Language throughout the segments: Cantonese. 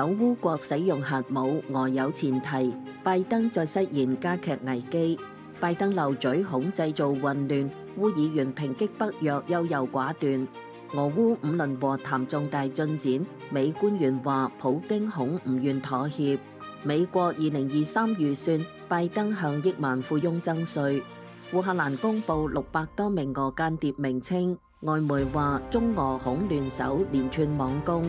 響烏國使用核武俄有前提，拜登再失言加劇危機。拜登漏嘴恐製造混亂，烏議員抨擊北約優柔寡斷。俄烏五輪和談重大進展，美官員話普京恐唔願妥協。美國2023預算，拜登向億萬富翁徵稅。烏克蘭公布600多名俄間諜名稱，外媒話中俄恐聯手連串網攻。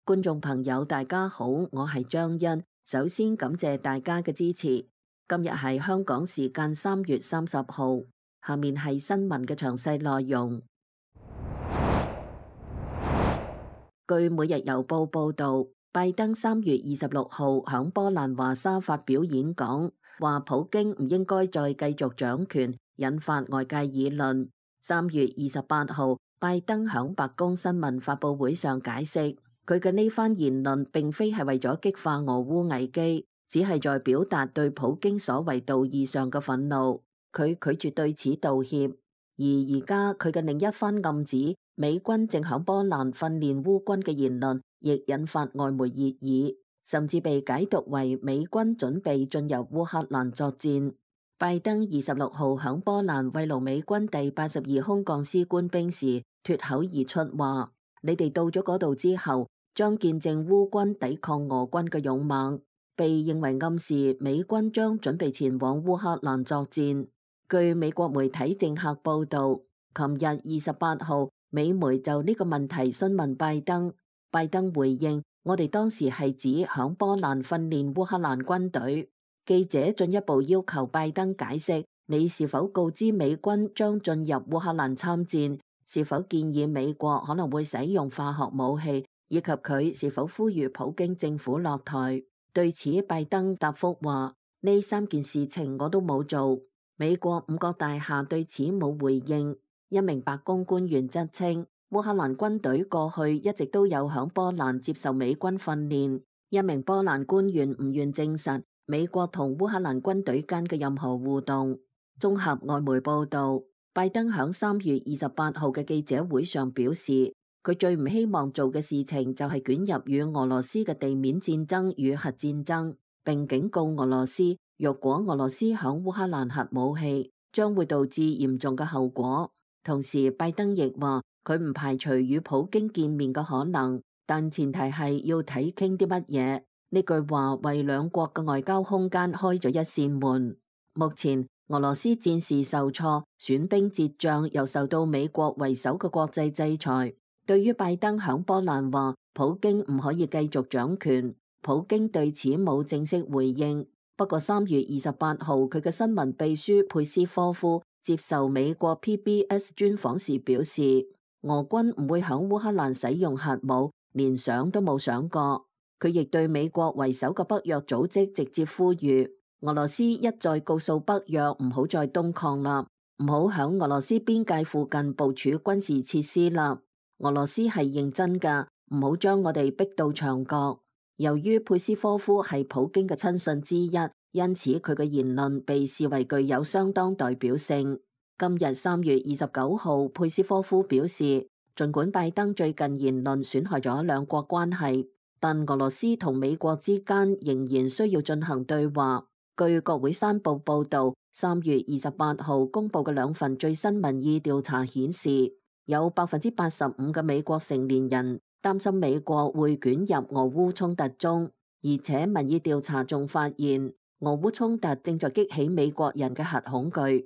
觀眾朋友大家好，我係張欣，首先感謝大家嘅支持。今日係香港時間3月30號，下面係新聞嘅詳細內容。據每日郵報報道，拜登3月26號響波蘭華沙發表演講，話普京唔應該再繼續掌權，引發外界議論。3月28號，拜登響白宮新聞發佈會上解釋，佢嘅呢番言論並非係為咗激化俄烏危機，只係在表達對普京所謂道義上嘅憤怒。佢拒絕對此道歉。而家佢嘅另一番暗指美軍正響波蘭訓練烏軍嘅言論，亦引發外媒熱議，甚至被解讀為美軍準備進入烏克蘭作戰。拜登26號響波蘭慰勞美軍第82空降師官兵時脫口而出話：你哋到咗嗰度之後，將見證烏軍抵抗俄軍嘅勇猛，被認為暗示美軍將準備前往烏克蘭作戰。據美國媒體政客報道，琴日28號，美媒就呢個問題詢問拜登，拜登回應：我哋當時係指響波蘭訓練烏克蘭軍隊。記者進一步要求拜登解釋，你是否告知美軍將進入烏克蘭參戰？是否建議美國可能會使用化學武器？以及佢是否呼籲普京政府落台？對此，拜登答覆話：呢3件事情我都冇做。美國5角大廈對此冇回應。一名白宮官員則稱，烏克蘭軍隊過去一直都有響波蘭接受美軍訓練。一名波蘭官員唔願證實美國同烏克蘭軍隊間嘅任何互動。綜合外媒報道，拜登響3月28號嘅記者會上表示，佢最唔希望做嘅事情就係捲入與俄羅斯嘅地面戰爭與核戰爭，並警告俄羅斯，若果俄羅斯響烏克蘭核武器，將會導致嚴重嘅後果。同時，拜登亦話佢唔排除與普京見面嘅可能，但前提係要睇傾啲乜嘢。呢句話為兩國嘅外交空間開咗一扇門。目前俄羅斯戰事受挫，損兵折將，又受到美國為首嘅國際制裁。對於拜登響波蘭話普京唔可以繼續掌權，普京對此冇正式回應。不過3月28號，佢嘅新聞秘書佩斯科夫接受美國 PBS 專訪時表示，俄軍唔會響烏克蘭使用核武，連想都冇想過。佢亦對美國為首嘅北約組織直接呼籲，俄羅斯一再告訴北約唔好再東抗啦，唔好響俄羅斯邊界附近部署軍事設施啦。俄羅斯係認真㗎，唔好將我哋逼到牆角。由於佩斯科夫係普京嘅親信之一，因此佢嘅言論被視為具有相當代表性。今日3月29號，佩斯科夫表示，儘管拜登最近言論損害咗兩國關係，但俄羅斯同美國之間仍然需要進行對話。據國會山報報導，3月28號公佈嘅2份最新民意調查顯示，有85%嘅美國成年人擔心美國會捲入俄烏衝突中，而且民意調查仲發現，俄烏衝突正在激起美國人嘅核恐懼。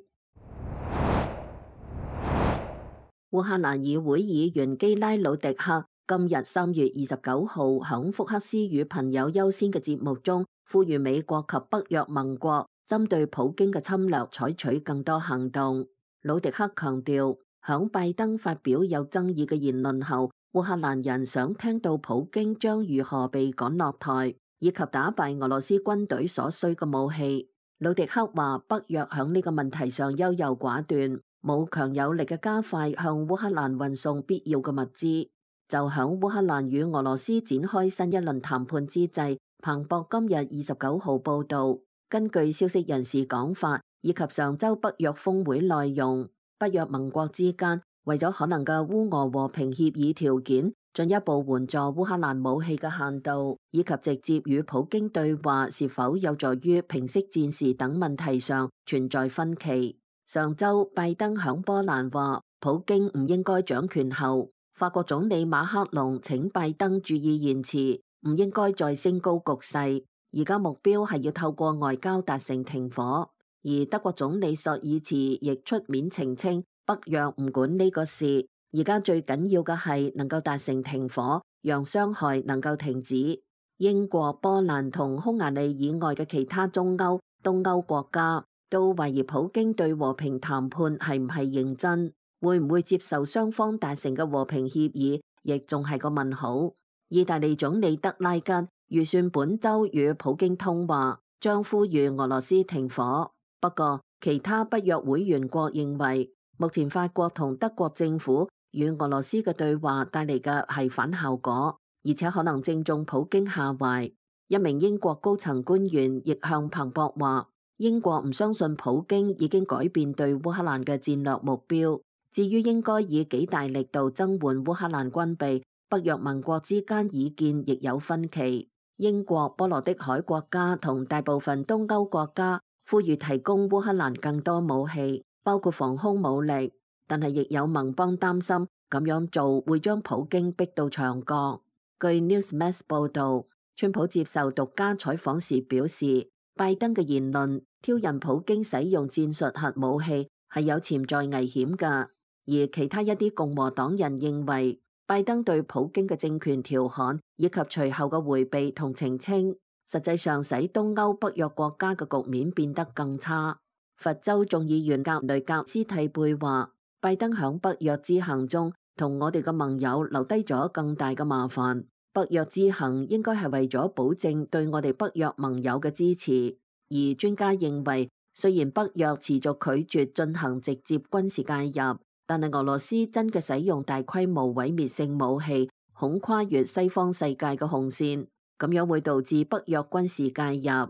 烏克蘭議會議員基拉魯迪克今日3月29號響福克斯與朋友優先嘅節目中，呼籲美國及北約盟國針對普京嘅侵略採取更多行動。魯迪克強調，響拜登發表有爭議嘅言論後，烏克蘭人想聽到普京將如何被趕落台，以及打敗俄羅斯軍隊所需嘅武器。魯迪克話，北約響呢個問題上優柔寡斷，冇強有力嘅加快向烏克蘭運送必要嘅物資。就響烏克蘭與俄羅斯展開新一輪談判之際，彭博今日29號報導，根據消息人士講法，以及上週北約峰會內容，北約盟國之間為咗可能嘅烏俄和平協議條件，進一步援助烏克蘭武器嘅限度，以及直接與普京對話是否有助於平息戰事等問題上存在分歧。上週拜登響波蘭話普京唔應該掌權後，法國總理馬克龍請拜登注意言辭，唔應該再升高局勢。而家目標係要透過外交達成停火。而德國總理朔爾茨亦出面澄清，北約唔管呢個事。而家最緊要嘅係能夠達成停火，讓傷害能夠停止。英國、波蘭同匈牙利以外嘅其他中歐、東歐國家都懷疑普京對和平談判係唔係認真，會唔會接受雙方達成嘅和平協議，亦仲係個問號。意大利總理德拉吉預算本週與普京通話，將呼籲俄羅斯停火。不過，其他北約會員國認為，目前法國同德國政府與俄羅斯嘅對話帶嚟嘅係反效果，而且可能正中普京下懷。一名英國高層官員亦向彭博話，英國唔相信普京已經改變對烏克蘭嘅戰略目標。至於應該以幾大力度增援烏克蘭軍備，北約盟國之間意見亦有分歧。英國、波羅的海國家同大部分東歐國家呼籲提供烏克蘭更多武器，包括防空武力。但係亦有盟邦擔心咁樣做會將普京逼到牆角。據 Newsmax 報導，川普接受獨家採訪時表示，拜登嘅言論挑釁普京使用戰術核武器係有潛在危險㗎。而其他一啲共和黨人認為，拜登對普京嘅政權調侃以及隨後嘅迴避同澄清，實際上使東歐北約國家嘅局面變得更差。佛州眾議員格雷格斯蒂貝話，拜登響北約之行中同我哋嘅盟友留低咗更大嘅麻煩。北約之行應該係為咗保證對我哋北約盟友嘅支持。而專家認為，雖然北約持續拒絕進行直接軍事介入，但係俄羅斯真嘅使用大規模毀滅性武器，恐跨越西方世界嘅紅線，咁樣會導致北約軍事介入。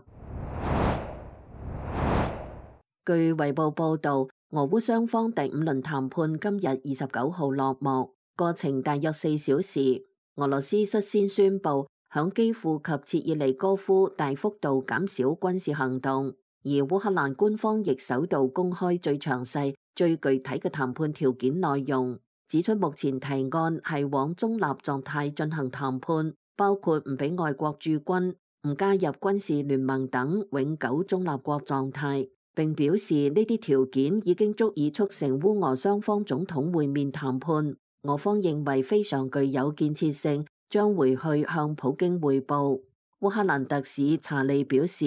據衛報報導，俄烏雙方第5輪談判今日29號落幕，過程大約4小時。俄羅斯率先宣布響基輔及切爾尼戈夫大幅度減少軍事行動，而烏克蘭官方亦首度公開最詳細、最具體嘅談判條件內容，指出目前提案係往中立狀態進行談判，包括唔俾外國駐軍、唔加入軍事聯盟等永久中立國狀態。並表示呢啲條件已經足以促成烏俄雙方總統會面談判。俄方認為非常具有建設性，將回去向普京匯報。烏克蘭特使查利表示，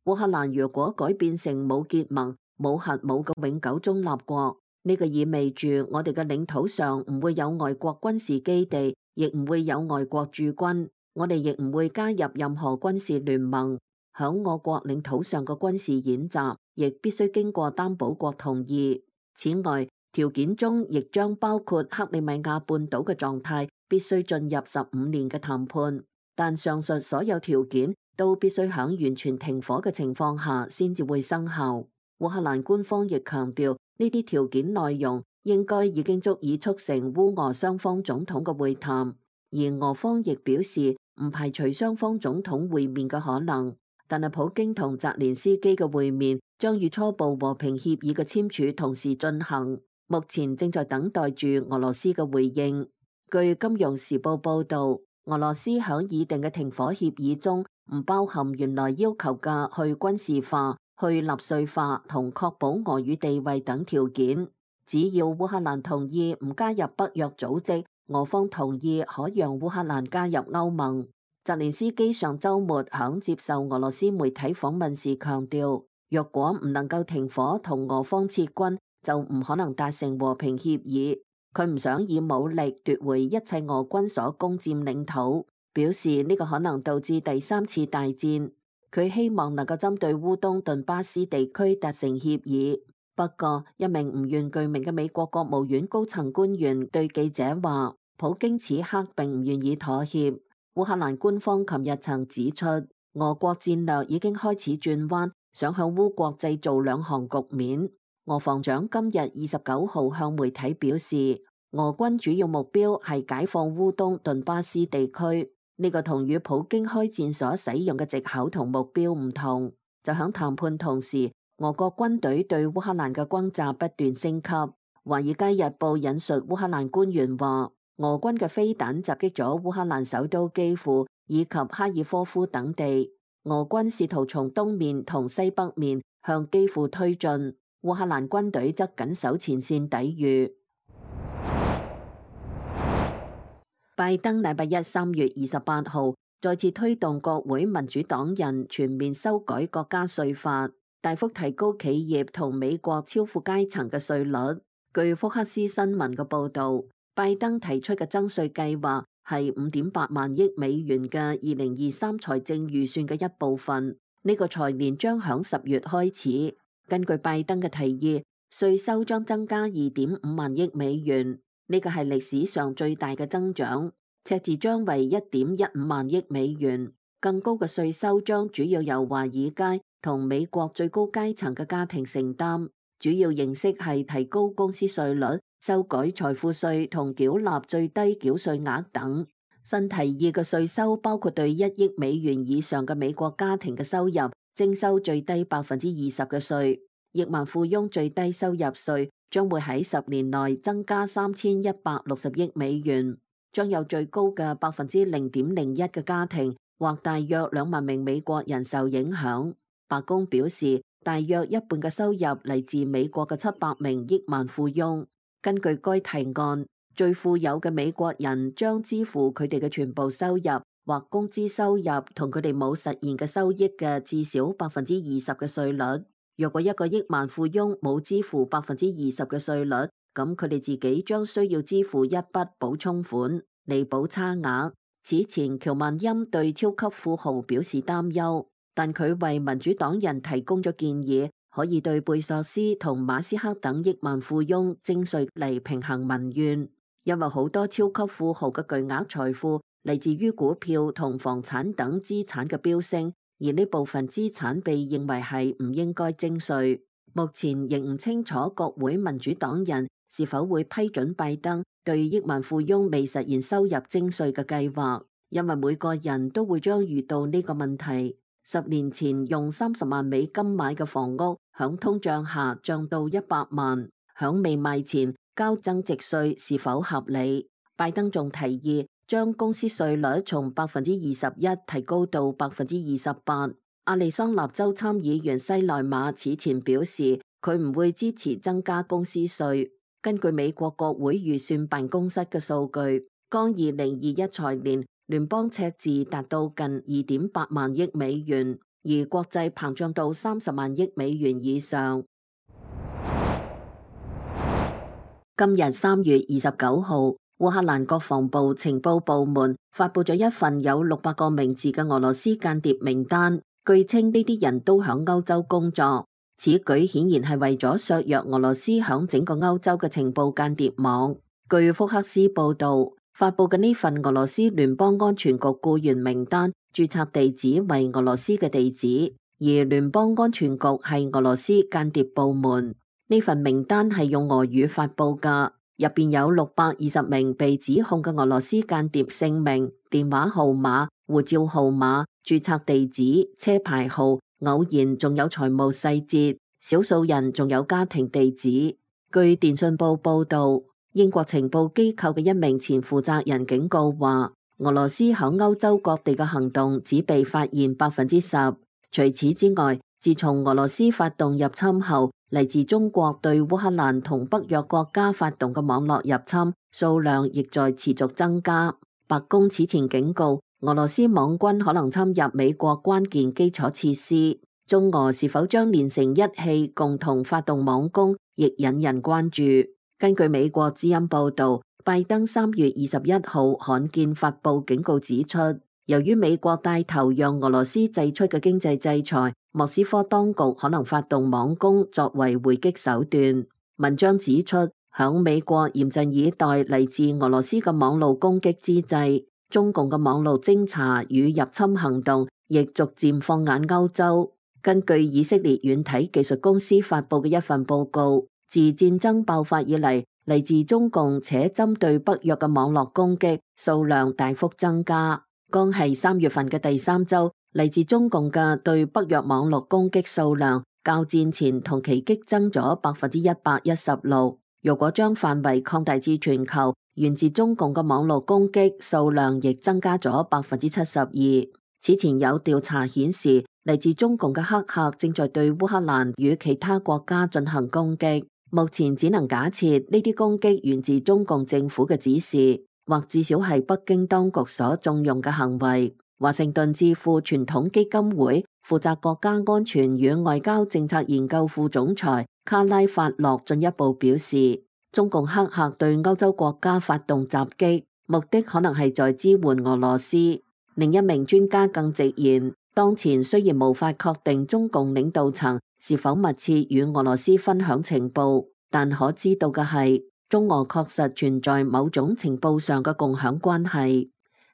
烏克蘭如果改變成冇結盟、冇核武嘅永久中立國，呢個意味住我哋嘅領土上唔會有外國軍事基地，亦唔會有外國駐軍，我哋亦唔會加入任何軍事聯盟。響我國領土上嘅軍事演習，亦必須經過擔保國同意。此外，條件中亦將包括克里米亞半島嘅狀態必須進入15年嘅談判，但上述所有條件都必須響完全停火嘅情況下先至會生效。烏克蘭官方亦強調，呢啲條件內容應該已經足以促成烏俄雙方總統嘅會談，而俄方亦表示唔排除雙方總統會面嘅可能。但係普京同澤連斯基嘅會面將與初步和平協議嘅簽署同時進行，目前正在等待住俄羅斯嘅回應。據金融時報報導，俄羅斯響擬定嘅停火協議中唔包含原來要求嘅去軍事化、去納粹化同確保俄語地位等條件。只要烏克蘭同意唔加入北約組織，俄方同意可讓烏克蘭加入歐盟。澤連斯基上週末響接受俄羅斯媒體訪問時強調，若果唔能夠停火同俄方撤軍，就唔可能達成和平協議。佢唔想以武力奪回一切俄軍所攻佔領土，表示呢個可能導致第3次大戰。佢希望能夠針對烏東頓巴斯地區達成協議。不過，一名唔願具名嘅美國國務院高層官員對記者話，普京此刻並唔願意妥協。烏克蘭官方琴日曾指出，俄國戰略已經開始轉彎，想向烏國製造兩韓局面。俄防長今日29號向媒體表示，俄軍主要目標係解放烏東頓巴斯地區。呢個同與普京開戰所使用嘅藉口同目標唔同。就響談判同時，俄國軍隊對烏克蘭嘅轟炸不斷升級。《華爾街日報》引述烏克蘭官員話，俄軍嘅飛彈襲擊咗烏克蘭首都基輔以及哈爾科夫等地。俄軍試圖從東面同西北面向基輔推進，烏克蘭軍隊則緊守前線抵禦。拜登禮拜一3月28號再次推動國會民主黨人全面修改國家稅法，大幅提高企業同美國超富階層嘅稅率。據福克斯新聞嘅報導，拜登提出嘅增稅計劃係5.8萬億美元嘅2023財政預算嘅一部分。呢個財年將響10月開始。根據拜登嘅提議，稅收將增加2.5萬億美元。呢個係歷史上最大嘅增長，赤字將為1.15萬億美元。更高嘅稅收將主要由華爾街同美國最高階層嘅家庭承擔，主要形式係提高公司稅率、修改財富稅同繳納最低繳稅額等。新提議嘅稅收包括對1億美元以上嘅美國家庭嘅收入徵收最低20%嘅稅，億萬富翁最低收入稅將會喺10年內增加3160億美元，將有最高嘅0.01%嘅家庭或大約2萬名美國人受影響。白宮表示，大約一半嘅收入嚟自美國嘅700名億萬富翁。根據該提案，最富有嘅美國人將支付佢哋嘅全部收入或工資收入同佢哋冇實現嘅收益嘅至少20%嘅稅率。若果一個億萬富翁冇支付20%嘅稅率，咁佢哋自己將需要支付一筆補充款，彌補差額。此前喬萬欽對超級富豪表示擔憂，但佢為民主黨人提供咗建議，可以對貝索斯同馬斯克等億萬富翁徵稅嚟平衡民怨，因為好多超級富豪嘅巨額財富嚟自於股票同房產等資產嘅飆升。而呢部分資產被認為係唔應該徵稅。目前仍唔清楚國會民主黨人是否會批准拜登對億萬富翁未實現收入徵稅嘅計劃，因為每個人都會將遇到呢個問題。10年前用30萬美金買嘅房屋，響通脹下漲到100萬，響未賣前交增值稅是否合理？拜登仲提議將公司稅率從21%提高到28%。亞利桑那州參議員西萊馬此前表示，佢唔會支持增加公司稅。根據美國國會預算辦公室嘅數據，剛2021財年聯邦赤字達到近2.8萬億美元，而國際膨脹到30萬億美元以上。今日3月29號，烏克蘭國防部情報部門發佈咗一份有600個名字嘅俄羅斯間諜名單，據稱呢啲人都響歐洲工作。此舉顯然係為咗削弱俄羅斯響整個歐洲嘅情報間諜網。據福克斯報道，發佈嘅呢份俄羅斯聯邦安全局僱員名單註冊地址為俄羅斯嘅地址，而聯邦安全局係俄羅斯間諜部門。呢份名單係用俄語發佈㗎，入邊有620名被指控嘅俄羅斯間諜姓名、電話號碼、護照號碼、註冊地址、車牌號，偶然仲有財務細節，少數人仲有家庭地址。據電訊報報道，英國情報機構嘅一名前負責人警告話，俄羅斯響歐洲各地嘅行動只被發現10%。除此之外，自從俄羅斯發動入侵後，嚟自中國對烏克蘭同北約國家發動嘅網絡入侵數量亦在持續增加。白宮此前警告，俄羅斯網軍可能侵入美國關鍵基礎設施。中俄是否將連成一氣共同發動網攻，亦引人關注。根據美國之音報道，拜登3月21號罕見發佈警告指出，由於美國帶頭讓俄羅斯祭出嘅經濟制裁，莫斯科當局可能發動網攻作為回擊手段。文章指出，響美國嚴陣以待嚟自俄羅斯嘅網絡攻擊之際，中共嘅網絡偵查與入侵行動亦逐漸放眼歐洲。根據以色列軟體技術公司發佈嘅一份報告，自戰爭爆發以嚟，嚟自中共且針對北約嘅網絡攻擊數量大幅增加。剛係3月份嘅第3週，嚟自中共嘅對北約網絡攻擊數量較戰前同期激增咗116%。如果將範圍擴大至全球，源自中共嘅網絡攻擊數量亦增加咗72%。此前有調查顯示，嚟自中共嘅黑客正在對烏克蘭與其他國家進行攻擊。目前只能假設呢啲攻擊源自中共政府嘅指示，或至少係北京當局所縱容嘅行為。華盛頓智庫傳統基金會負責國家安全與外交政策研究副總裁卡拉法洛進一步表示，中共黑客對歐洲國家發動襲擊，目的可能係在支援俄羅斯。另一名專家更直言，當前雖然無法確定中共領導層是否密切與俄羅斯分享情報，但可知道嘅係，中俄確實存在某種情報上嘅共享關係。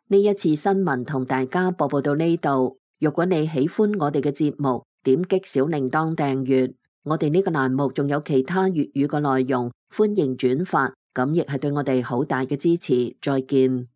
呢一次新聞同大家播報到呢度。如果你喜歡我哋嘅節目，點擊小鈴鐺訂閱。我哋呢個欄目仲有其他粵語嘅內容，歡迎轉發，咁亦係對我哋好大嘅支持。再見。